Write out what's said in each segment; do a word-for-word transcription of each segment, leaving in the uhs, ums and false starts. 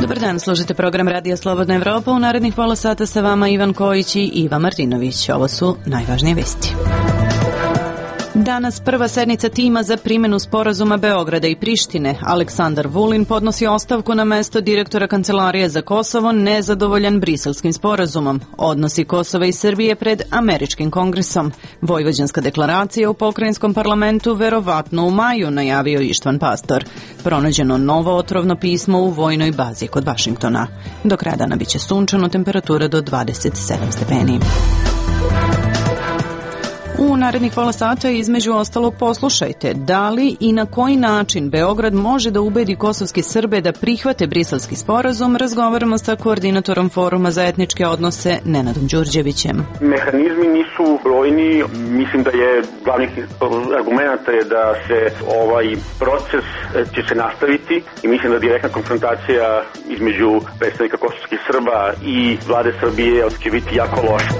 Dobar dan, slušate program Radija Slobodna Evropa. U narednih pola sata sa vama Ivan Kojić i Iva Martinović. Ovo su najvažnije vesti. Danas prva sednica tima za primjenu sporazuma Beograda i Prištine. Aleksandar Vulin podnosi ostavku na mesto direktora Kancelarije za Kosovo, nezadovoljan briselskim sporazumom. Odnosi Kosova i Srbije pred američkim kongresom. Vojvođanska deklaracija u pokrajinskom parlamentu verovatno u maju, najavio Ištvan Pastor. Pronađeno novo otrovno pismo u vojnoj bazi kod Vašingtona. Do kraja dana biće sunčano, temperatura do dvadeset sedam stepeni. U narednih pola sata između ostalog poslušajte da li i na koji način Beograd može da ubedi kosovske Srbe da prihvate briselski sporazum. Razgovaramo sa koordinatorom Foruma za etničke odnose Nenadom Đurđevićem. Mehanizmi nisu brojni, mislim da je glavnih argumenta je da se ovaj proces će se nastaviti i mislim da direktna konfrontacija između predstavnika kosovskih Srba i vlade Srbije će biti jako loša.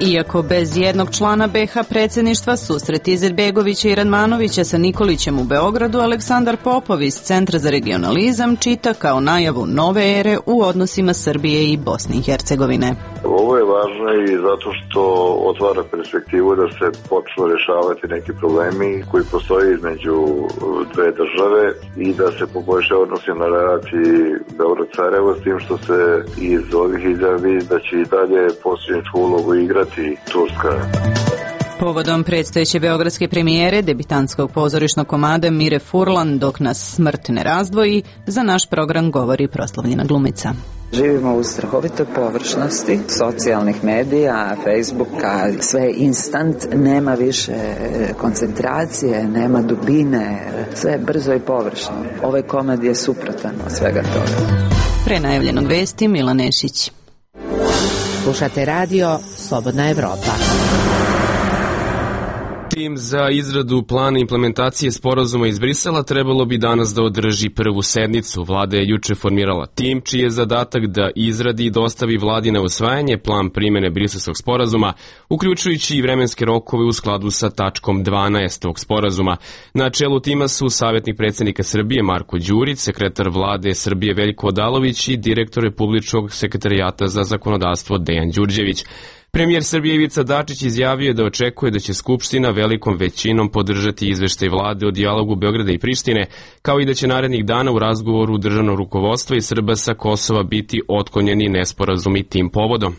Iako bez jednog člana be ha predsjedništva, susret Izetbegovića i Radmanovića sa Nikolićem u Beogradu, Aleksandar Popov iz Centra za regionalizam čita kao najavu nove ere u odnosima Srbije i Bosne i Hercegovine. Ovo je važno i zato što otvara perspektivu da se počnu rješavati neki problemi koji postoje između dve države i da se poboljša odnosi na relaciji Beograd-Sarajevo, s tim što se iz ovih izjavi da će i dalje posljedničku ulogu igrati Turska. Povodom predstojeće beogradske premijere debitanskog pozorišnog komada Mire Furlan dok nas smrt ne razdvoji, za naš program govori proslavljena glumica. Živimo u strahovitoj površnosti socijalnih medija, Facebooka, sve je instant, nema više koncentracije, nema dubine, sve je brzo i površno. Ovaj komad je suprotan od svega toga. Pre najavljenog vesti Mila Nešić. Slušate radio Slobodna Evropa. Tim za izradu plana implementacije sporazuma iz Brisela trebalo bi danas da održi prvu sednicu. Vlada je juče formirala tim čiji je zadatak da izradi i dostavi vladi na usvajanje plan primjene briselskog sporazuma, uključujući i vremenske rokove u skladu sa tačkom dvanaest tog sporazuma. Na čelu tima su savjetnik predsjednika Srbije Marko Đurić, sekretar vlade Srbije Veljko Odalović i direktor Republičkog sekretarijata za zakonodavstvo Dejan Đurđević. Premijer Srbije Ivica Dačić izjavio je da očekuje da će Skupština velikom većinom podržati izveštaj vlade o dijalogu Beograda i Prištine, kao i da će narednih dana u razgovoru državnog rukovodstva i Srba sa Kosova biti otklonjeni nesporazumi tim povodom.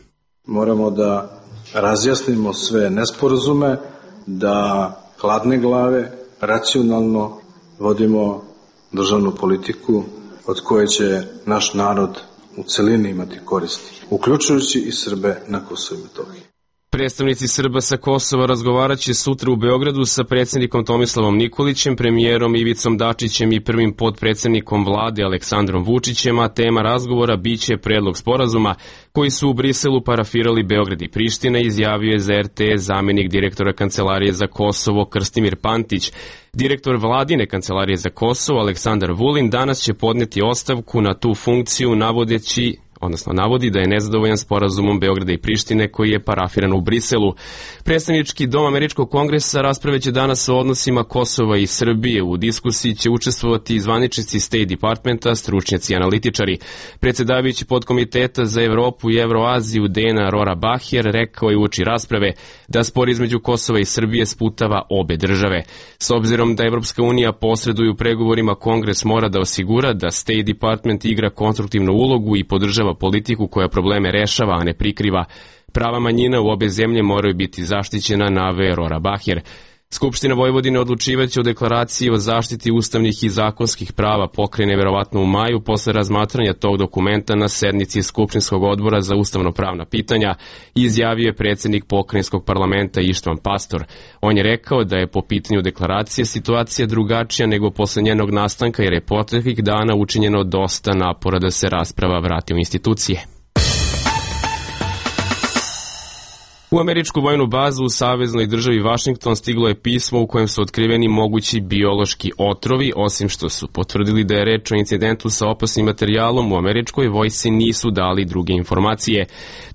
Moramo da razjasnimo sve nesporazume, da hladne glave, racionalno vodimo državnu politiku od koje će naš narod u celini imati koristi, uključujući i Srbe na Kosovu i Metohiji. Predstavnici Srba sa Kosova razgovarat će sutra u Beogradu sa predsjednikom Tomislavom Nikolićem, premijerom Ivicom Dačićem i prvim potpredsjednikom vlade Aleksandrom Vučićem, a tema razgovora biće predlog sporazuma koji su u Briselu parafirali Beograd i Priština, izjavio je za er te es zamjenik direktora Kancelarije za Kosovo Krstimir Pantić. Direktor vladine Kancelarije za Kosovo Aleksandar Vulin danas će podneti ostavku na tu funkciju navodeći odnosno navodi da je nezadovoljan sporazumom Beograda i Prištine koji je parafiran u Briselu. Predstavnički dom Američkog kongresa raspraveće danas o odnosima Kosova i Srbije. U diskusiji će učestvovati zvaničnici State Departmenta, stručnjaci i analitičari. Predsjedavajući podkomiteta za Evropu i Evroaziju Dena Rora Bahjer rekao je uoči rasprave da spor između Kosova i Srbije sputava obe države. S obzirom da Evropska unija posreduje u pregovorima, Kongres mora da osigura da State Department igra konstruktivnu ulogu i podržava politiku koja probleme rešava, a ne prikriva. Prava manjina u obe zemlje moraju biti zaštićena, naveo Rora Bahjer. Skupština Vojvodine odlučivaće o deklaraciji o zaštiti ustavnih i zakonskih prava pokrene verovatno u maju posle razmatranja tog dokumenta na sednici Skupštinskog odbora za ustavno-pravna pitanja, izjavio je predsjednik pokrajinskog parlamenta Ištvan Pastor. On je rekao da je po pitanju deklaracije situacija drugačija nego posle njenog nastanka jer je proteklih dana učinjeno dosta napora da se rasprava vrati u institucije. U američku vojnu bazu u saveznoj državi Vašington stiglo je pismo u kojem su otkriveni mogući biološki otrovi. Osim što su potvrdili da je reč o incidentu sa opasnim materijalom, u američkoj vojsci nisu dali druge informacije.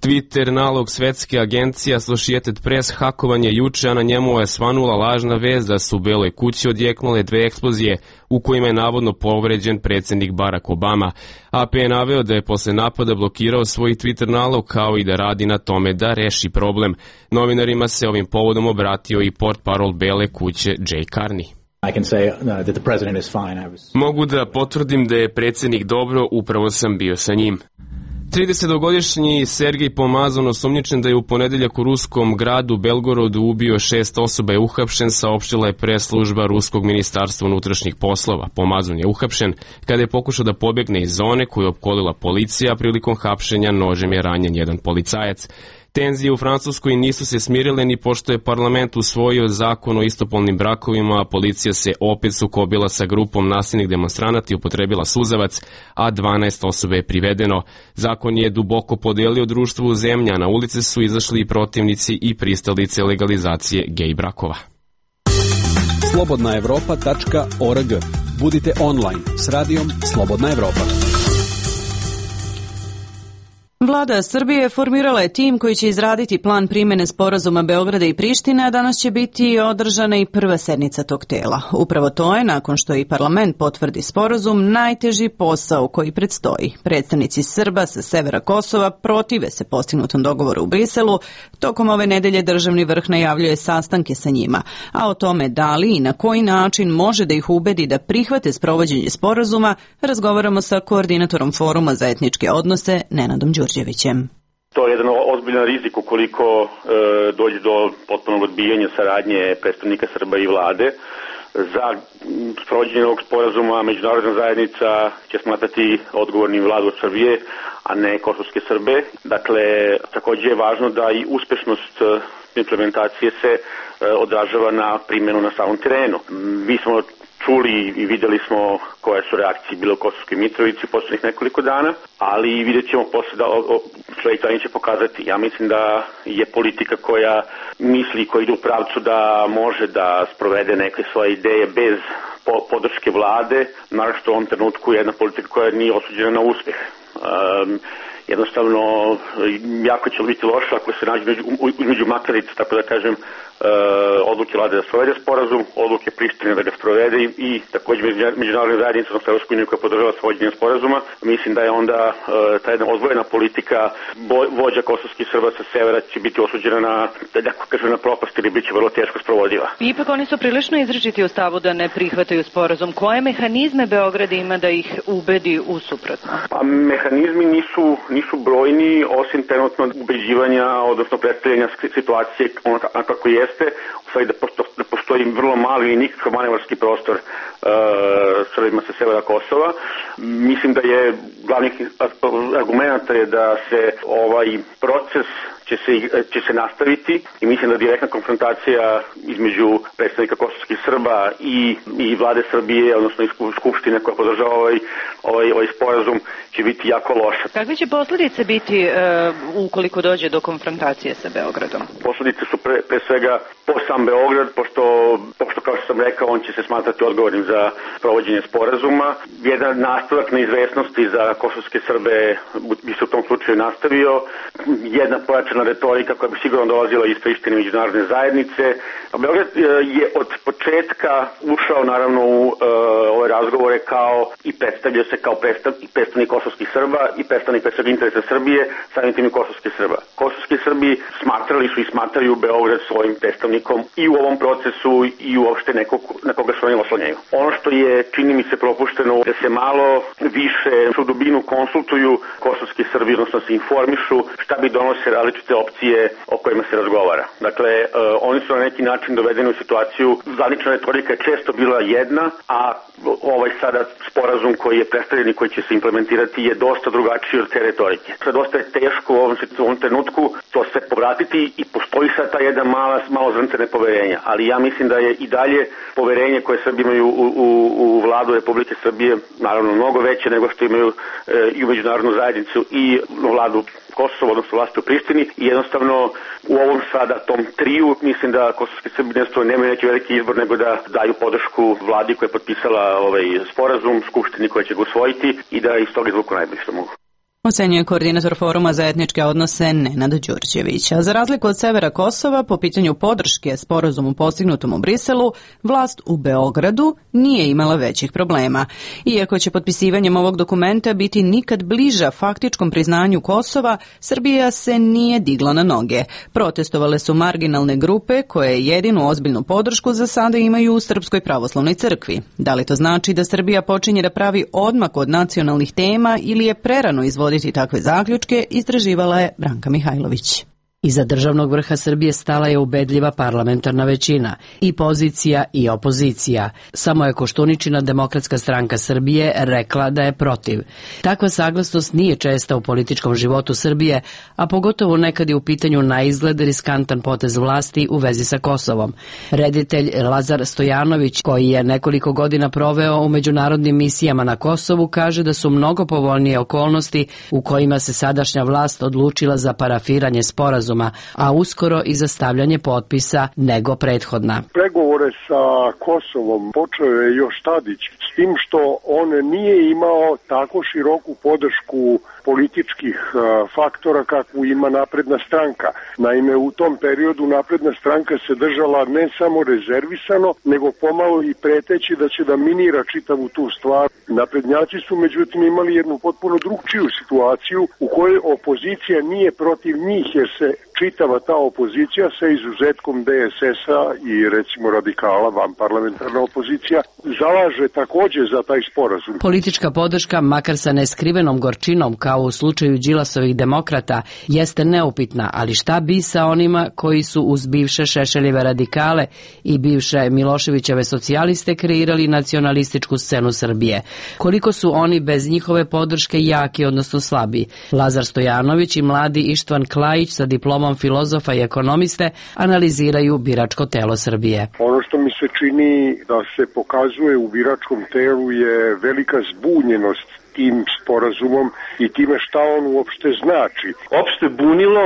Twitter nalog svetske agencije Associated Press hakovan je juče, a na njemu je svanula lažna vest da su u Beloj kući odjeknule dve eksplozije, u kojima je navodno povređen predsjednik Barack Obama. A P je naveo da je posle napada blokirao svoj Twitter nalog kao i da radi na tome da reši problem. Novinarima se ovim povodom obratio i portparol Bele kuće Jay Carney. Mogu da potvrdim da je predsjednik dobro, upravo sam bio sa njim. tridesetogodišnji Sergej Pomazan, osumnjičen da je u ponedeljak u ruskom gradu Belgorodu ubio šest osoba, je uhapšen, saopštila je press-služba Ruskog ministarstva unutrašnjih poslova. Pomazan je uhapšen kada je pokušao da pobegne iz zone koju je opkolila policija, a prilikom hapšenja nožem je ranjen jedan policajac. Tenzije u Francuskoj nisu se smirile ni pošto je parlament usvojio zakon o istopolnim brakovima, a policija se opet sukobila sa grupom nasilnih demonstranata i upotrebila suzavac, a dvanaest osoba je privedeno. Zakon je duboko podelio društvo u zemlji, a na ulice su izašli i protivnici i pristalice legalizacije gej brakova. slobodna evropa tačka org. Budite online s radijom Slobodna Evropa. Vlada Srbije formirala je tim koji će izraditi plan primjene sporazuma Beograda i Prištine, a danas će biti održana i prva sednica tog tela. Upravo to je, nakon što i parlament potvrdi sporazum, najteži posao koji predstoji. Predstavnici Srba sa severa Kosova protive se postignutom dogovoru u Briselu. Tokom ove nedelje državni vrh najavljuje sastanke sa njima, a o tome da li i na koji način može da ih ubedi da prihvate sprovođenje sporazuma, razgovaramo sa koordinatorom Foruma za etničke odnose Nenadom Đurđevićem. To je jedan ozbiljan rizik ukoliko e, dođe do potpunog odbijanja saradnje predstavnika Srba i vlade. Za sprovođenje ovog sporazuma međunarodna zajednica će smatrati odgovornim vladu Srbije, a ne kosovske Srbe. Dakle, također je važno da i uspešnost implementacije se e, odražava na primjenu na samom terenu. Mi smo čuli i vidjeli smo koje su reakcije bile u Kosovskoj Mitrovici u posljednjih nekoliko dana, ali vidjet ćemo posle da sljedeći dan će pokazati. Ja mislim da je politika koja misli, koja ide u pravcu da može da sprovede neke svoje ideje bez podrške vlade, naravno što u ovom trenutku je jedna politika koja nije osuđena na uspjeh. Um, jednostavno, jako će biti loše ako se nađe između makarica, tako da kažem, uh, odluke vlade da sprovede sporazum, odluke Prištine da ga sprovede i, i također međunarodne zajednice, odnosno Evropsku uniju koja podržava svođenje sporazuma. Mislim da je onda uh, ta jedna odvojena politika vođa kosovskih Srba sa severa će biti osuđena na, da kažem, na propast ili bit će vrlo teško sprovodiva. Ipak oni su prilično izričiti u stavu da ne prihvataju sporazum. Koje mehanizme Beograd ima da ih ubedi u suprotno? Pa mehanizmi nisu nisu brojni, osim trenutno ubeđivanja, odnosno predstavljanja situacije onako kako jeste, u stvari da, posto, da postoji vrlo mali i nikakav manevarski prostor uh, Srbima sa severa Kosova. Mislim da je glavnih argumenta je da se ovaj proces će se, će se nastaviti i mislim da direktna konfrontacija između predstavnika kosovskih Srba i, i vlade Srbije, odnosno i skupštine koja podržava ovaj, ovaj, ovaj sporazum, će biti jako loša. Kakve će posljedice biti uh, ukoliko dođe do konfrontacije sa Beogradom? Posljedice su pre, pre svega po sam Beograd, pošto, pošto kao što sam rekao, on će se smatrati odgovornim za provođenje sporazuma. Jedan nastavak neizvesnosti za kosovske Srbe bi se u tom slučaju nastavio. Jedna pojačana retorika koja bi sigurno dolazila iz Prištine međunarodne zajednice. A Beograd je od početka ušao naravno u uh, ove razgovore kao i predstavljao se kao predstav, predstavnik kosovskih Srba i predstavnik predstavnik interesa Srbije, samim tim i kosovskih Srba. Kosovski Srbi smatrali su i smatraju Beograd svojim predstavnikom i u ovom procesu i uopšte nekog, na koga su oni oslanjaju. Ono što je, čini mi se, propušteno da se malo više u dubinu konsultuju kosovski Srbi, odnosno se informišu šta bi donose različite opcije o kojima se razgovara. Dakle, uh, oni su na neki način dovedeni u situaciju, zvanična retorika je često bila jedna, a ovaj sada sporazum koji je predstavljen i koji će se implementirati je dosta drugačiji od te retorike. Sve dosta je teško u ovom, u ovom trenutku to sve povratiti i postoji sad ta jedna mala, malo zrnce nepoverenja, ali ja mislim da je i dalje poverenje koje Srbi imaju u, u, u vladu Republike Srbije naravno mnogo veće nego što imaju e, i u međunarodnu zajednicu i vladu Kosovo, odnosno vlasti u Prištini i jednostavno u ovom sada tom triju mislim da kosovski Srbi nemaju neki veliki izbor nego da daju podršku vladi koja je potpisala ovaj sporazum, skupštini koja će ga usvojiti i da iz toga izvuku najbolje što mogu. Ocenjuje koordinator Foruma za etničke odnose Nenad Đurđević. A za razliku od severa Kosova, po pitanju podrške sporazumu postignutom u Briselu, vlast u Beogradu nije imala većih problema. Iako će potpisivanjem ovog dokumenta biti nikad bliža faktičkom priznanju Kosova, Srbija se nije digla na noge. Protestovale su marginalne grupe koje jedinu ozbiljnu podršku za sada imaju u Srpskoj pravoslavnoj crkvi. Da li to znači da Srbija počinje da pravi odmak od nacionalnih tema ili je prerano izvoditi takve zaključke, istraživala je Branka Mihajlović. Iza državnog vrha Srbije stala je ubedljiva parlamentarna većina, i pozicija i opozicija. Samo je Koštuničina Demokratska stranka Srbije rekla da je protiv. Takva saglasnost nije česta u političkom životu Srbije, a pogotovo nekad je u pitanju na izgled riskantan potez vlasti u vezi sa Kosovom. Reditelj Lazar Stojanović, koji je nekoliko godina proveo u međunarodnim misijama na Kosovu, kaže da su mnogo povoljnije okolnosti u kojima se sadašnja vlast odlučila za parafiranje sporazuma, a uskoro i za stavljanje potpisa nego prethodna. Pregovore sa Kosovom počeo je još Tadić, s tim što on nije imao tako široku podršku političkih faktora kakvu ima Napredna stranka. Naime, u tom periodu Napredna stranka se držala ne samo rezervisano, nego pomalo i preteći da će da minira čitavu tu stvar. Naprednjaci su međutim imali jednu potpuno drugčiju situaciju u kojoj opozicija nije protiv njih, jer se čitava ta opozicija sa izuzetkom D S S-a i recimo radikala, vanparlamentarna opozicija, zalaže takođe za taj sporazum. Politička podrška, makar sa neskrivenom gorčinom kao u slučaju Đilasovih demokrata, jeste neupitna, ali šta bi sa onima koji su uz bivše Šešeljeve radikale i bivše Miloševićeve socijaliste kreirali nacionalističku scenu Srbije? Koliko su oni bez njihove podrške jaki, odnosno slabi? Lazar Stojanović i mladi Ištvan Klajić sa diplomom filozofa i ekonomiste analiziraju biračko telo Srbije. Ono što mi se čini da se pokazuje u biračkom telu je velika zbunjenost tim sporazumom i time šta on uopšte znači. Opšte bunilo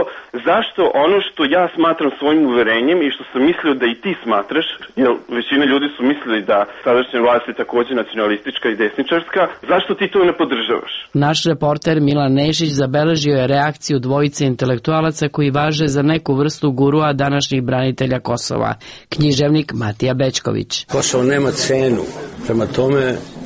zašto ono što ja smatram svojim uverenjem i što sam mislio da i ti smatraš, jer većina ljudi su mislili da sadašnja vlast je takođe nacionalistička i desničarska, zašto ti to ne podržavaš? Naš reporter Milan Nešić zabeležio je reakciju dvojice intelektualaca koji važe za neku vrstu gurua današnjih branitelja Kosova, književnik Matija Bećković. Kosovo nema cenu, prema tome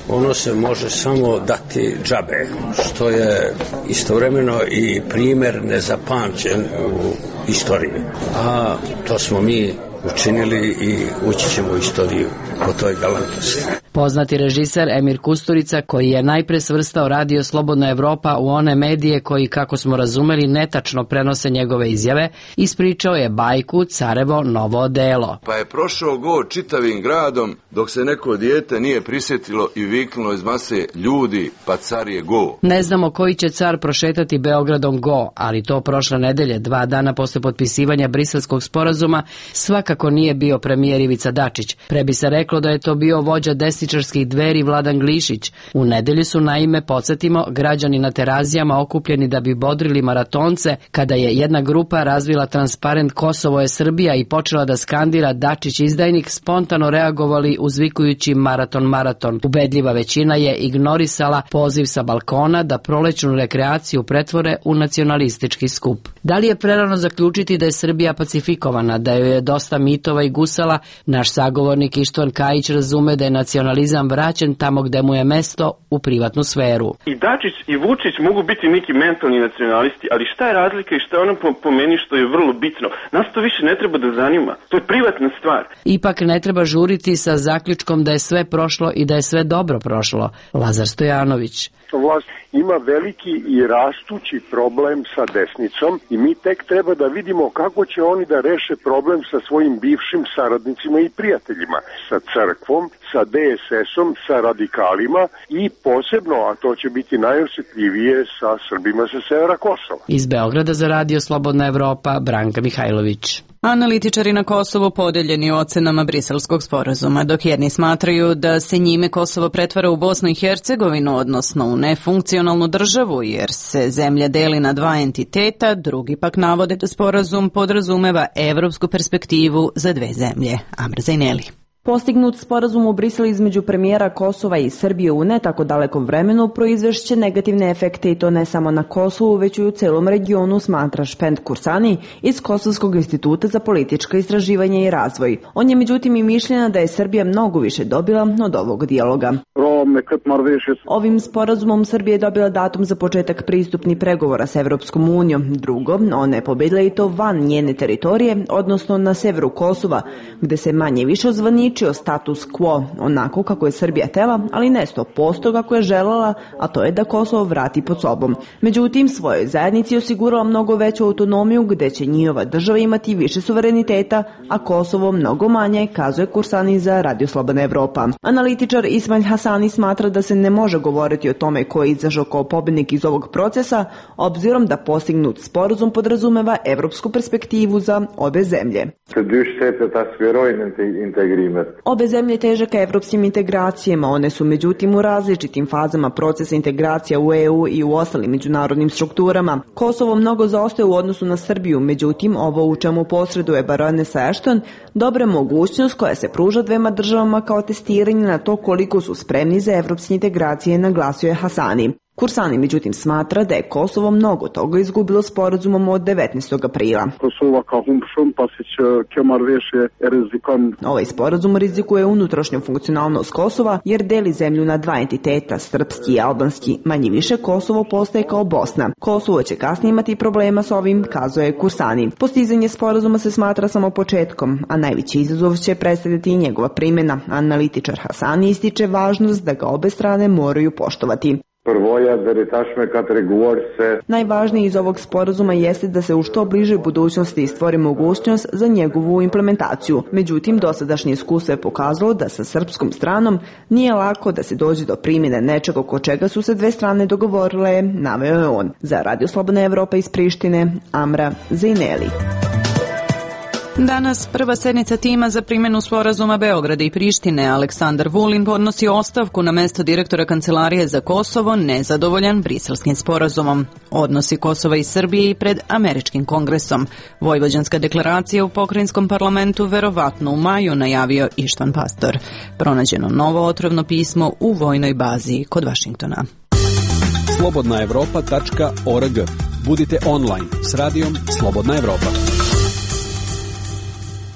ono se može samo dati džabe, što je istovremeno i primer nezapamćen u istoriji. A to smo mi učinili i ući ćemo u istoriju po toj galantnosti. Poznati režiser Emir Kusturica, koji je najpre svrstao Radio Slobodna Evropa u one medije koji, kako smo razumeli, netačno prenose njegove izjave, ispričao je bajku Carevo novo odelo. Pa je prošao go čitavim gradom dok se neko dijete nije prisjetilo i viknulo iz mase ljudi, pa car je go. Ne znamo koji će car prošetati Beogradom go, ali to prošle nedelje, dva dana posle potpisivanja Briselskog sporazuma, svakako nije bio premijer Ivica Dačić. Pre bi se reklo da je to bio vođa desničarskih Dveri Vladan Glišić. U nedelju su, naime, podsjetimo, građani na Terazijama okupljeni da bi bodrili maratonce kada je jedna grupa razvila transparent Kosovo je Srbija i počela da skandira Dačić izdajnik, spontano reagovali uzvikujući maraton maraton. Ubedljiva većina je ignorisala poziv sa balkona da prolećnu rekreaciju pretvore u nacionalistički skup. Da li je prerano zaključiti da je Srbija pacifikovana, da joj je dosta mitova i gusala? Naš sagovornik Ištvan Kajić razume da je nacionalizam vraćen tamo gde mu je mesto, u privatnu sferu. I Dačić i Vučić mogu biti neki mentalni nacionalisti, ali šta je razlika i šta je ono po, po meni što je vrlo bitno? Nas to više ne treba da zanima. To je privatna stvar. Ipak ne treba žuriti sa zaključkom da je sve prošlo i da je sve dobro prošlo. Lazar Stojanović. Vlast ima veliki i rastući problem sa desnicom i mi tek treba da vidimo kako će oni da reše problem sa svojim bivšim saradnicima i prijateljima, sa crkvom, sa D S S-om, sa radikalima i posebno, a to će biti najosjetljivije, sa Srbima sa severa Kosova. Iz Beograda za Radio Slobodna Evropa, Branka Mihajlović. Analitičari na Kosovu podeljeni u ocenama Briselskog sporazuma, dok jedni smatraju da se njime Kosovo pretvara u Bosnu i Hercegovinu, odnosno u nefunkcionalnu državu, jer se zemlja deli na dva entiteta, drugi pak navode da sporazum podrazumeva evropsku perspektivu za dve zemlje. Amr Zajneli. Postignut sporazum u Briselu između premijera Kosova i Srbije u ne tako dalekom vremenu proizvešće negativne efekte i to ne samo na Kosovu, već i u celom regionu, smatra Špend Kursani iz Kosovskog instituta za politička istraživanja i razvoj. On je međutim i mišljena da je Srbija mnogo više dobila od ovog dijaloga. Ovim sporazumom Srbija je dobila datum za početak pristupnih pregovora s Evropskom unijom. Drugo, ona je pobedila i to van njene teritorije, odnosno na severu Kosova, gde se manje više ozvaničio status quo, onako kako je Srbija tela, ali ne sto posto kako je želela, a to je da Kosovo vrati pod sobom. Međutim, svojoj zajednici osigurala mnogo veću autonomiju, gde će njihova država imati više suvereniteta, a Kosovo mnogo manje, kazuje Kursani za Radio Slobodna Evropa. Analitičar Ismail Hasani smatra da se ne može govoriti o tome ko je izašao kao pobednik iz ovog procesa, obzirom da postignut sporazum podrazumeva evropsku perspektivu za obe zemlje. Obe zemlje teže ka evropskim integracijama, one su međutim u različitim fazama procesa integracija u E U i u ostalim međunarodnim strukturama. Kosovo mnogo zaostaje u odnosu na Srbiju, međutim ovo u čemu posreduje baronesa Ashton dobra mogućnost koja se pruža dvema državama kao testiranje na to koliko su spremni za evropske integracije, naglasio je Hasani. Kursani međutim smatra da je Kosovo mnogo toga izgubilo sporazumom od devetnaestog aprila. Ovaj sporazum rizikuje unutrašnju funkcionalnost Kosova jer deli zemlju na dva entiteta, srpski i albanski. Manje više Kosovo postaje kao Bosna. Kosovo će kasnije imati problema s ovim, kazuje Kursani. Postizanje sporazuma se smatra samo početkom, a najveći izazov će predstavljati i njegova primjena. Analitičar Hasani ističe važnost da ga obe strane moraju poštovati. Najvažnije iz ovog sporazuma jeste da se u što bližoj budućnosti stvori mogućnost za njegovu implementaciju. Međutim, dosadašnje iskustvo je pokazalo da sa srpskom stranom nije lako da se dođe do primjene nečega oko čega su se dve strane dogovorile, naveo je on. Za Radio Slobodna Evropa iz Prištine, Amra Zejneli. Danas prva sednica tima za primjenu sporazuma Beograda i Prištine. Aleksandar Vulin podnosi ostavku na mesto direktora Kancelarije za Kosovo, nezadovoljan briselskim sporazumom. Odnosi Kosova i Srbije i pred američkim kongresom. Vojvođanska deklaracija u pokrajinskom parlamentu verovatno u maju, najavio Ištvan Pastor. Pronađeno novo otrovno pismo u vojnoj bazi kod Vašingtona. slobodna evropa tačka org. Budite online s radijom Slobodna Evropa.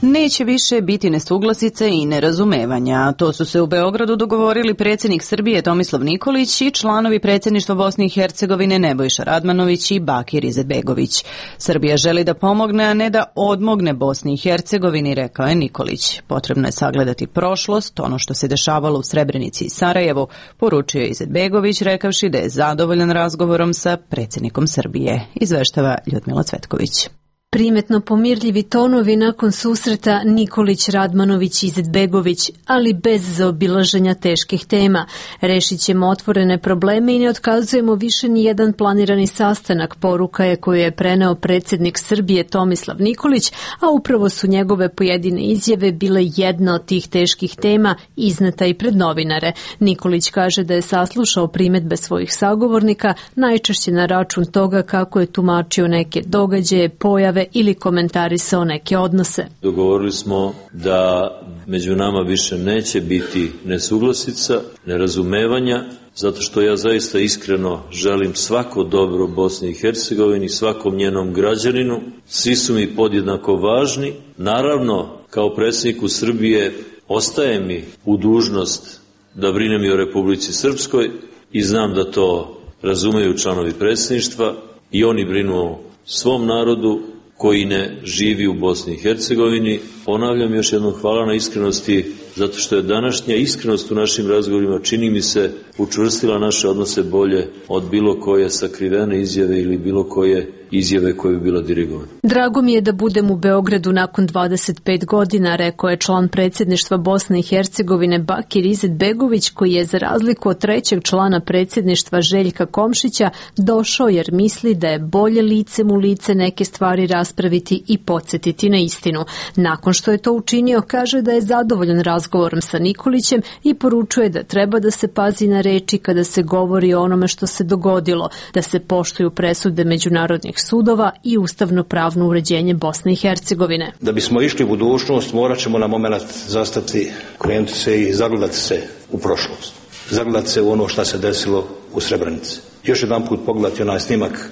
Neće više biti nesuglasice i nerazumevanja. To su se u Beogradu dogovorili predsjednik Srbije Tomislav Nikolić i članovi predsjedništva Bosne i Hercegovine Nebojša Radmanović i Bakir Izetbegović. Srbija želi da pomogne, a ne da odmogne Bosni i Hercegovini, rekao je Nikolić. Potrebno je sagledati prošlost, ono što se dešavalo u Srebrenici i Sarajevu, poručio je Izetbegović, rekavši da je zadovoljan razgovorom sa predsjednikom Srbije. Izveštava Ljudmila Cvetković. Primetno pomirljivi tonovi nakon susreta Nikolić, Radmanović i Izetbegović, ali bez zaobilaženja teških tema. Rešit ćemo otvorene probleme i ne otkazujemo više ni jedan planirani sastanak, poruka je koju je preneo predsjednik Srbije Tomislav Nikolić, a upravo su njegove pojedine izjave bile jedna od tih teških tema izneta i pred novinare. Nikolić kaže da je saslušao primetbe svojih sagovornika, najčešće na račun toga kako je tumačio neke događaje, pojave ili komentarisao neke odnose. Dogovorili smo da među nama više neće biti nesuglasica, nerazumevanja, zato što ja zaista iskreno želim svako dobro Bosni i Hercegovini, svakom njenom građaninu. Svi su mi podjednako važni. Naravno, kao predsjedniku Srbije ostaje mi u dužnost da brinem i o Republici Srpskoj i znam da to razumeju članovi predsjedništva i oni brinu o svom narodu koji ne živi u Bosni i Hercegovini. Ponavljam još jednom hvala na iskrenosti, zato što je današnja iskrenost u našim razgovorima, čini mi se, učvrstila naše odnose bolje od bilo koje sakrivene izjave ili bilo koje izjave koje bi bila dirigovana. Drago mi je da budem u Beogradu nakon dvadeset pet godina, rekao je član predsjedništva Bosne i Hercegovine Bakir Izetbegović, koji je za razliku od trećeg člana predsjedništva Željka Komšića došao jer misli da je bolje licem u lice neke stvari raspraviti i podsjetiti na istinu. Nakon što je to učinio, kaže da je zadovoljan razgovorom sa Nikolićem i poručuje da treba da se pazi na reči kada se govori o onome što se dogodilo, da se poštuju presude međunarodnih sudova i ustavno-pravno uređenje Bosne i Hercegovine. Da bismo išli u budućnost, morat ćemo na moment zastati, krenuti se i zagledati se u prošlost. Zagledati se u ono što se desilo u Srebrenici. Još jedan put pogledati onaj snimak,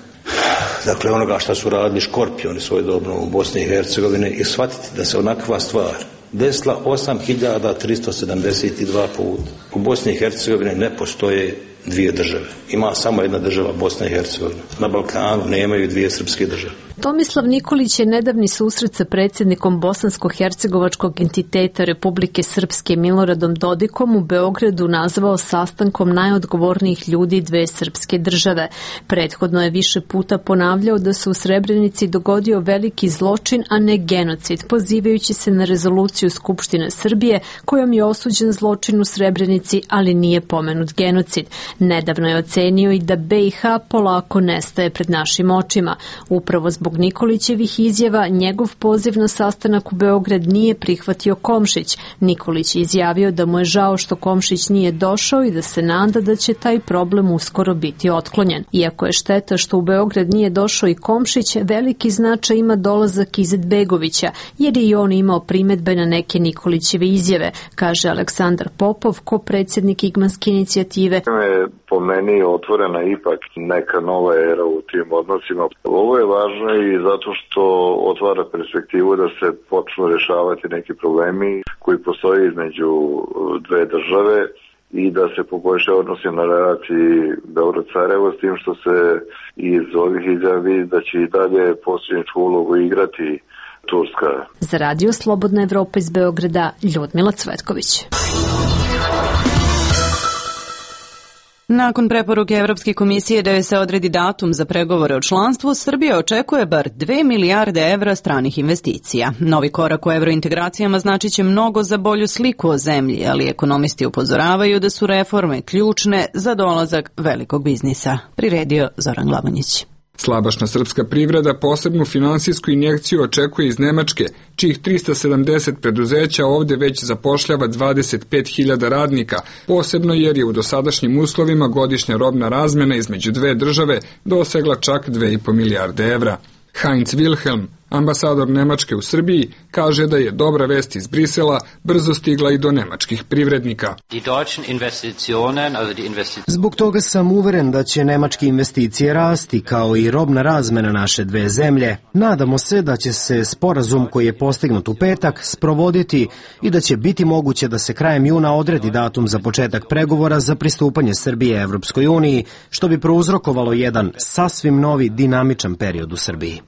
dakle onoga što su radili škorpioni svojedobno u Bosni i Hercegovini i shvatiti da se onakva stvar desila osam hiljada tristo sedamdeset dva puta. U Bosni i Hercegovini ne postoje dvije države. Ima samo jedna država, Bosna i Hercegovina. Na Balkanu nemaju dvije srpske države. Tomislav Nikolić je nedavni susret sa predsjednikom bosansko-hercegovačkog entiteta Republike Srpske Miloradom Dodikom u Beogradu nazvao sastankom najodgovornijih ljudi dve srpske države. Prethodno je više puta ponavljao da se u Srebrenici dogodio veliki zločin, a ne genocid, pozivajući se na rezoluciju Skupštine Srbije kojom je osuđen zločin u Srebrenici, ali nije pomenut genocid. Nedavno je ocenio i da B i H polako nestaje pred našim očima. Upravo zbog Zbog Nikolićevih izjava, njegov poziv na sastanak u Beograd nije prihvatio Komšić. Nikolić je izjavio da mu je žao što Komšić nije došao i da se nada da će taj problem uskoro biti otklonjen. Iako je šteta što u Beograd nije došao i Komšić, veliki značaj ima dolazak Izetbegovića, jer je i on imao primedbe na neke Nikolićeve izjave, kaže Aleksandar Popov, ko-predsjednik Igmanske inicijative. Po meni otvorena ipak neka nova era u tim odnosima. Ovo je važno i zato što otvara perspektivu da se počnu rješavati neki problemi koji postoje između dve države i da se poboljša odnosi na relaciji Beograd-Sarajevo, s tim što se iz ovih izjavi da će i dalje posljedničku ulogu igrati Turska. Za Radio Slobodna Evropa iz Beograda, Ljudmila Cvetković. Nakon preporuke Evropske komisije da joj se odredi datum za pregovore o članstvu, Srbija očekuje bar dve milijarde evra stranih investicija. Novi korak u evrointegracijama znači će mnogo za bolju sliku o zemlji, ali ekonomisti upozoravaju da su reforme ključne za dolazak velikog biznisa. Priredio Zoran Glavonjić. Slabašna srpska privreda posebnu finansijsku injekciju očekuje iz Nemačke, čijih trista sedamdeset preduzeća ovdje već zapošljava dvadeset pet hiljada radnika, posebno jer je u dosadašnjim uslovima godišnja robna razmjena između dve države dosegla čak dve i po milijarde evra. Heinz Wilhelm, ambasador Nemačke u Srbiji, kaže da je dobra vest iz Brisela brzo stigla i do nemačkih privrednika. Zbog toga sam uveren da će nemačke investicije rasti, kao i robna razmena naše dve zemlje. Nadamo se da će se sporazum koji je postignut u petak sprovoditi i da će biti moguće da se krajem juna odredi datum za početak pregovora za pristupanje Srbije Evropskoj uniji, što bi prouzrokovalo jedan sasvim novi dinamičan period u Srbiji.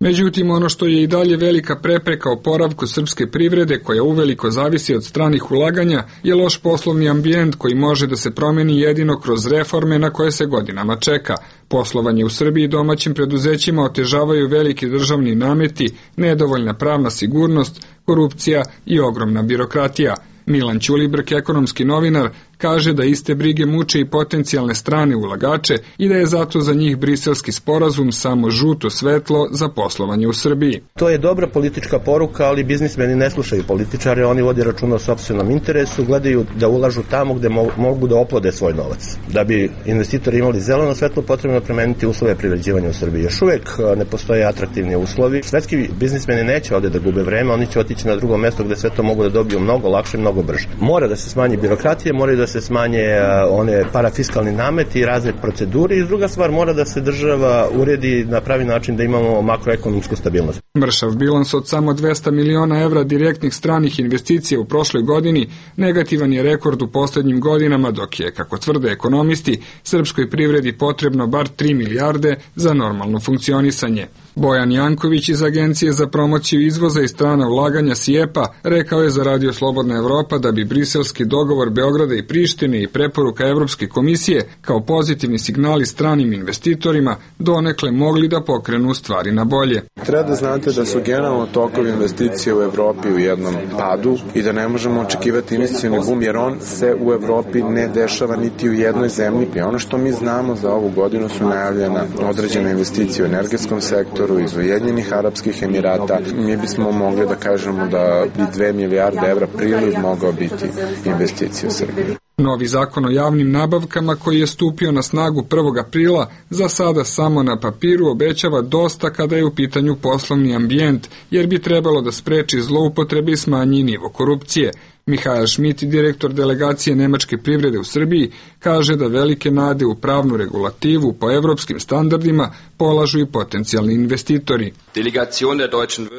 Međutim, ono što je i dalje velika prepreka oporavku srpske privrede, koja uveliko zavisi od stranih ulaganja, je loš poslovni ambijent koji može da se promeni jedino kroz reforme na koje se godinama čeka. Poslovanje u Srbiji domaćim preduzećima otežavaju veliki državni nameti, nedovoljna pravna sigurnost, korupcija i ogromna birokratija. Milan Ćulibrk, ekonomski novinar, kaže da iste brige muče i potencijalne strane ulagače i da je zato za njih briselski sporazum samo žuto svetlo za poslovanje u Srbiji. To je dobra politička poruka, ali biznismeni ne slušaju političare, oni vode računa o sopstvenom interesu, gledaju da ulažu tamo gde mogu da oplode svoj novac. Da bi investitori imali zeleno svetlo, potrebno promeniti uslove privređivanja u Srbiji. Još uvek ne postoje atraktivni uslovi. Svetski biznismeni neće ovde da gube vreme, oni će otići na drugo mesto gde sve to mogu da dobiju mnogo lakše, mnogo brže. Mora da se smanji birokratije, moraju da se smanje one parafiskalni nameti i razne procedure i druga stvar, mora da se država uredi na pravi način da imamo makroekonomsku stabilnost. Mršav bilans od samo dvesta miliona evra direktnih stranih investicija u prošloj godini negativan je rekord u posljednjim godinama, dok je, kako tvrde ekonomisti, srpskoj privredi potrebno bar tri milijarde za normalno funkcionisanje. Bojan Janković iz Agencije za promociju izvoza i strana ulaganja S I E P-a rekao je za Radio Slobodna Evropa da bi briselski dogovor Beograda i Prištine i preporuka Evropske komisije kao pozitivni signali stranim investitorima donekle mogli da pokrenu stvari na bolje. Treba da znate da su generalno tokovi investicije u Evropi u jednom padu i da ne možemo očekivati investicioni bum jer on se u Evropi ne dešava niti u jednoj zemlji. I ono što mi znamo za ovu godinu su najavljena određene investicije u energetskom sektoru, sektoru iz Ujedinjenih Arapskih Emirata, mi bismo mogli da kažemo da bi dve milijarde evra priliv mogao biti investicija u Srbiji. Novi zakon o javnim nabavkama koji je stupio na snagu prvog aprila za sada samo na papiru obećava dosta kada je u pitanju poslovni ambijent, jer bi trebalo da spreči zloupotrebe i smanji nivo korupcije. Mihael Schmidt, direktor delegacije nemačke privrede u Srbiji, kaže da velike nade u pravnu regulativu po evropskim standardima polažu i potencijalni investitori.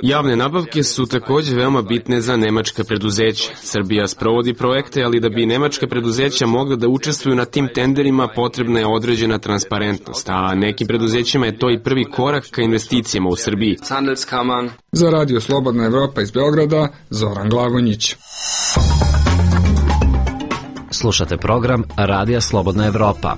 Javne nabavke su takođe veoma bitne za nemačka preduzeća. Srbija sprovodi projekte, ali da bi nemačka preduzeća mogla da učestvuju na tim tenderima potrebna je određena transparentnost, a nekim preduzećima je to i prvi korak ka investicijama u Srbiji. Za Radio Slobodna Evropa iz Beograda, Zoran Glavonjić. Slušate program Radija Slobodna Evropa.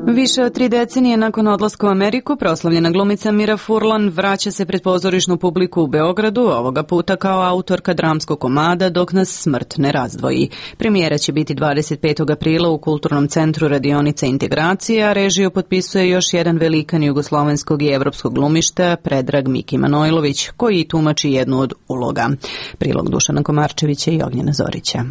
Više od tri decenije nakon odlaska u Ameriku, proslavljena glumica Mira Furlan vraća se pred pozorišnu publiku u Beogradu, ovoga puta kao autorka dramskog komada Dok nas smrt ne razdvoji. Premijera će biti dvadeset petog aprila u Kulturnom centru Radionica integracije, a režiju potpisuje još jedan velikan jugoslovenskog i evropskog glumišta, Predrag Miki Manojlović, koji tumači jednu od uloga. Prilog Dušana Komarčevića i Ognjena Zorića.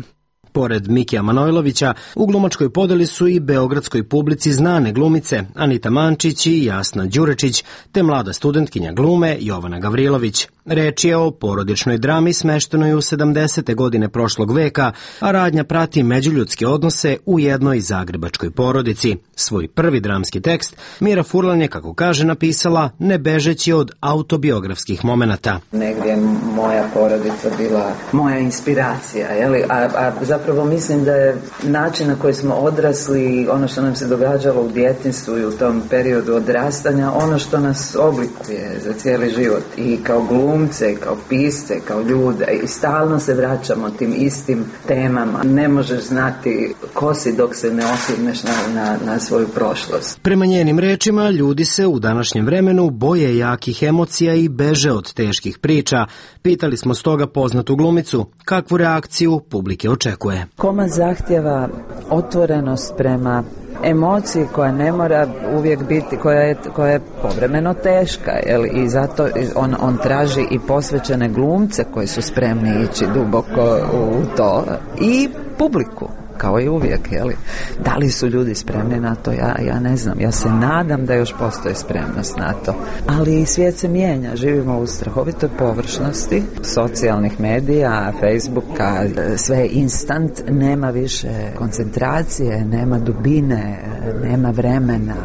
Pored Mikija Manojlovića, u glumačkoj podeli su i beogradskoj publici znane glumice Anita Mančić i Jasna Đurečić, te mlada studentkinja glume Jovana Gavrilović. Reč je o porodičnoj drami smeštenoj u sedamdesete godine prošlog veka, a radnja prati međuljudske odnose u jednoj zagrebačkoj porodici. Svoj prvi dramski tekst Mira Furlan je, kako kaže, napisala ne bežeći od autobiografskih momenata. Negdje moja porodica bila moja inspiracija, jeli? A, a zapravo mislim da je način na koji smo odrasli, ono što nam se događalo u djetinjstvu i u tom periodu odrastanja, ono što nas oblikuje za cijeli život i kao glumce, kao pisce, kao ljude, i stalno se vraćamo tim istim temama. Ne možeš znati ko si dok se ne osvrneš na, na, na svoju prošlost. Prema njenim rečima, ljudi se u današnjem vremenu boje jakih emocija i beže od teških priča. Pitali smo stoga poznatu glumicu kakvu reakciju publike očekuje. Komad zahtjeva otvorenost prema emociji koja ne mora uvijek biti, koja je, koja je povremeno teška, jel? I zato on, on traži i posvećene glumce koji su spremni ići duboko u to i publiku. Kao i uvijek, jeli? Da li su ljudi spremni na to? Ja, ja ne znam. Ja se nadam da još postoji spremnost na to. Ali svijet se mijenja. Živimo u strahovitoj površnosti socijalnih medija, Facebooka, sve je instant, nema više koncentracije, nema dubine, nema vremena.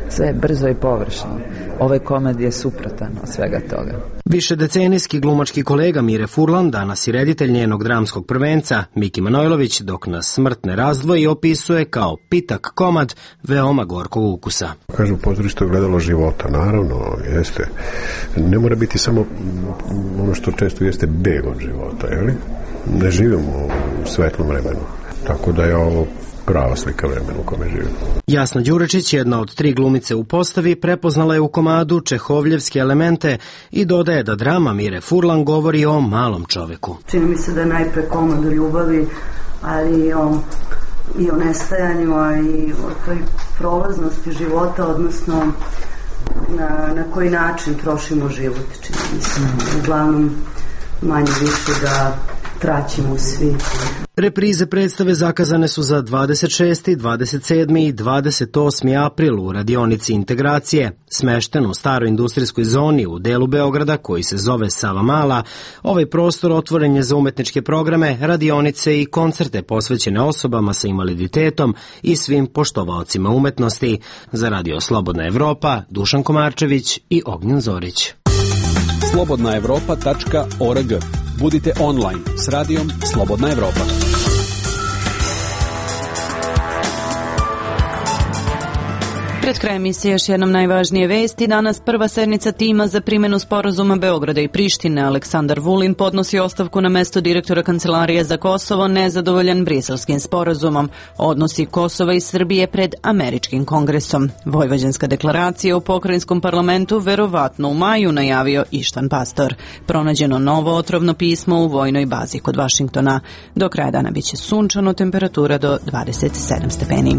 Sve je brzo i površno. Ovaj komad je suprotan od svega toga. Višedecenijski glumački kolega Mire Furlan, danas i reditelj njenog dramskog prvenca, Miki Manojlović, Dok nas smrt ne razdvoji, opisuje kao pitak komad veoma gorkog ukusa. Kažu, pozorište je gledalo života, naravno, jeste. Ne mora biti samo ono što često jeste beg od života, jeli? Ne živimo u svetlom vremenu, tako da je ovo prava slika vremena u kome živimo. Jasna Đurečić, jedna od tri glumice u postavi, prepoznala je u komadu čehovljevske elemente i dodaje da drama Mire Furlan govori o malom čoveku. Čini mi se da je najpre komad o ljubavi, ali i o, i o nestajanju, a i o toj prolaznosti života, odnosno na, na koji način trošimo život. Čini mi se, uglavnom manje više da traćimo svi. Reprize predstave zakazane su za dvadeset šesti, dvadeset sedmi i dvadeset osmi april u Radionici integracije, smešten u staroj industrijskoj zoni u delu Beograda koji se zove Savamala. Ovaj prostor otvoren je za umetničke programe, radionice i koncerte posvećene osobama sa invaliditetom i svim poštovaocima umetnosti. Za Radio Slobodna Evropa, Dušan Komarčević i Ognjen Zorić. slobodna evropa tačka org. Budite online s radijom Slobodna Evropa. Pred krajem emisije još jednom najvažnije vesti. Danas prva sednica tima za primjenu sporazuma Beograda i Prištine. Aleksandar Vulin podnosi ostavku na mesto direktora Kancelarije za Kosovo, nezadovoljan briselskim sporazumom. Odnosi Kosova i Srbije pred američkim kongresom. Vojvođanska deklaracija u pokrajinskom parlamentu verovatno u maju, najavio Ištvan Pastor. Pronađeno novo otrovno pismo u vojnoj bazi kod Vašingtona. Do kraja dana biće sunčano, temperatura do dvadeset sedam stepeni.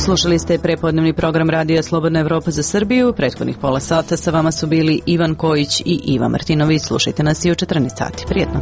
Slušali ste prepodnevni program Radija Slobodna Evropa za Srbiju. Prethodnih pola sata sa vama su bili Ivan Kojić i Iva Martinović. Slušajte nas i u četrnaest sati. Prijetno.